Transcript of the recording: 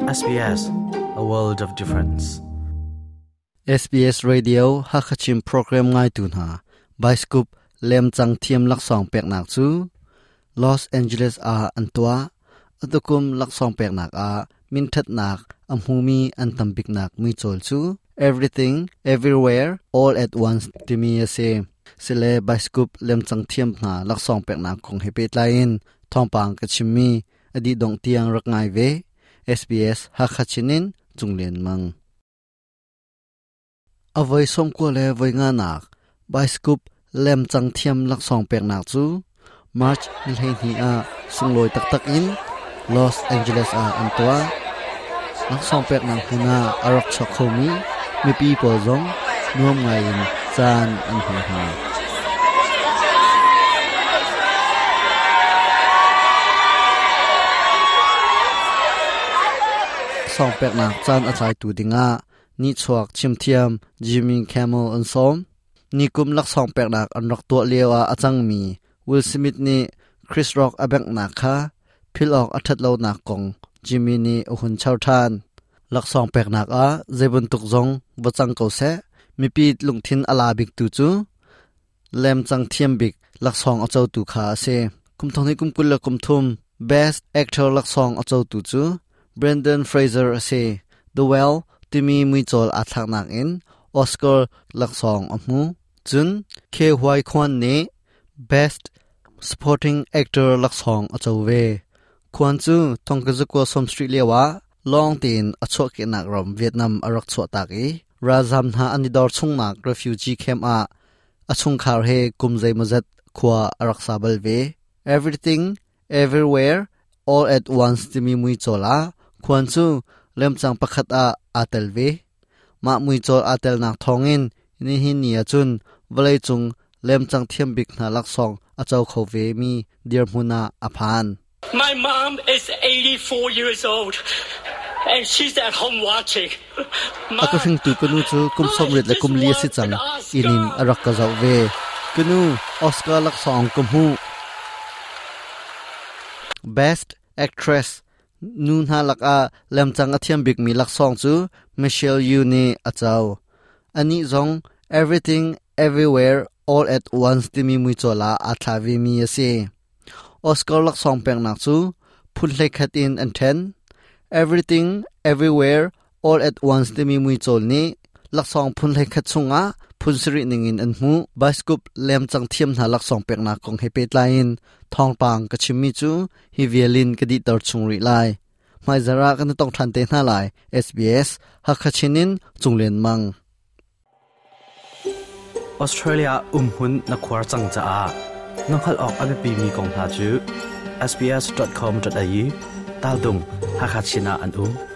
SBS, a world of difference. SBS Radio Hakachin program ngaitu hna Bioscope lemcang thiam laksawng peknak cu Los Angeles ah an tuah. Atukum laksawng peknak ah minthatnak a hmumi an tambiknak muicawl cu Everything Everywhere All at Once timi a si. Sile Bioscope lemcang thiam hna laksawng peknak kong he pehtlai in thawngpang ka chimmi a dih dongh tiang rak ngai ve. SBS Hakha Chinin Cunglian Mang. A voi 90 le voi nganak bioscope lemcang thiam laksawng peknak cu March ni 12 ah sunglawi taktak in Los Angeles ah an tuah. Laksawng peknak hmun ah a rak chuak khomi mipi pawl zong nuam ngaiin caan an hmang hna. Sawng peknak caan a tlaitu dingah nihchuak chimthiam Jimmy Kimmel an sawm. Nikum laksawng peknak an rak tuah lio ah a cangmi Will Smith nih Chris Rock a benghnak kha philh awk a ṭhat lonak kong Jimmy nih a hun char ṭhan. Laksawng peknak ah zeibantuk zong va cang ko seh, mipi lungthin a la biktu cu lemcang thiam bik laksawng a cotu kha a si. Kum thong hnih kum 23 Best Actor laksawng a cotu cu Brendan Fraser a si. The Well timi muicawl aa thlaknak in Oscar laksawng a hmu. Cun Ke Huy Quan nih Best Supporting Actor laksawng a co ve. Khuan cu thongkazakua 70 lioah lawng tein a chuahkehnak ram Vietnam a rak chuahtak i ralzam hna an i dor chungnak refugee camp ah a chungkhar he kum zeimawzat khua a rak sa bal ve. Everything, Everywhere, All at Once timi muicawl ah khuan cu lemcang pakhat ah aa tel ve. Mah muicawl aa telnak thawngin nihin ni ahcun vawleicung lemcang thiam bik hna laksawng a co kho ve mi dirhmun ah a phan. My mom is 84 years old and she's at home watching. A ka hringtu ka nu cu kum 84 le kum li a si cang. Inn in a rak ka zoh ve. Ka nu, Oscar laksawng ka hmuh. Best Actress Nu hna lakah lemcang a thiam bikmi laksawng cu Michelle Yeoh nih a co. Anih zong Everything Everywhere All at Once timi muicawl ah aa thla vemi a si. Oscar laksawng peknak cu phun hleikhat in an ṭhen. Everything Everywhere All at Once timi muicawl nih laksawng phun hleikhat chungah phun sarih ningin an hmuh. Bioscope lemcang thiam hna laksawng peknak kong he pehtlai in thawngpang ka chimmi cu hi vial in ka dihter chung rih lai. Hmaizar ah kan tong ṭhan te hna lai. SBS Hakha Chin in Cunglen Mang. Australia umhmun na khuar cang caah na hngalh awk a biapimi kong hna cu sbs.com.au tal tung Hakha Chin ah an um.